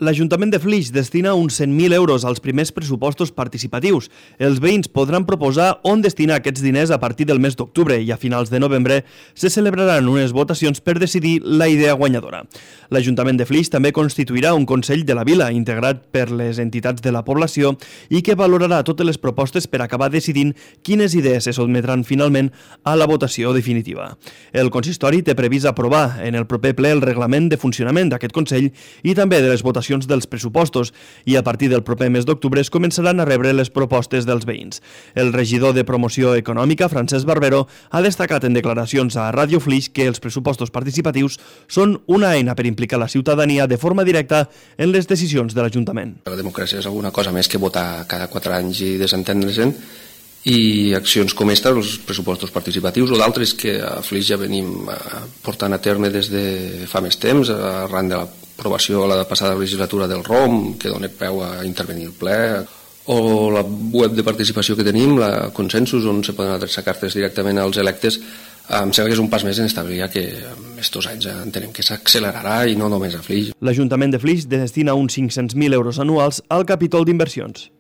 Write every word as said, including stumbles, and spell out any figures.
L'Ajuntament de Flix destina uns cent mil euros als primers pressupostos participatius. Els veïns podran proposar on destinar aquests diners a partir del mes d'octubre i a finals de novembre se celebraran unes votacions per decidir la idea guanyadora. L'Ajuntament de Flix també constituirà un Consell de la Vila integrat per les entitats de la població i que valorarà totes les propostes per acabar decidint quines idees se sotmetran finalment a la votació definitiva. El consistori té previst aprovar en el proper ple el reglament de funcionament d'aquest Consell i també de les votacions dels pressupostos i a partir del proper mes d'octubre es començaran a rebre les propostes dels veïns. El regidor de Promoció Econòmica, Francesc Barbero, ha destacat en declaracions a Ràdio Flix que els pressupostos participatius són una eina per implicar la ciutadania de forma directa en les decisions de l'Ajuntament. La democràcia és alguna cosa més que votar cada quatre anys i desentendre-se'n, i accions com esta, els pressupostos participatius o d'altres que a Flix ja venim portant a terme des de fa més temps, arran de l'aprovació a la passada legislatura del R O M, que dona peu a intervenir el ple, o la web de participació que tenim, la Consensus, on se poden adreçar cartes directament als electes. Em sembla que és un pas més en establir que estos anys entenem que s'accelerarà i no només a Flix. L'Ajuntament de Flix destina uns cinc-cents mil euros anuals al capítol d'inversions.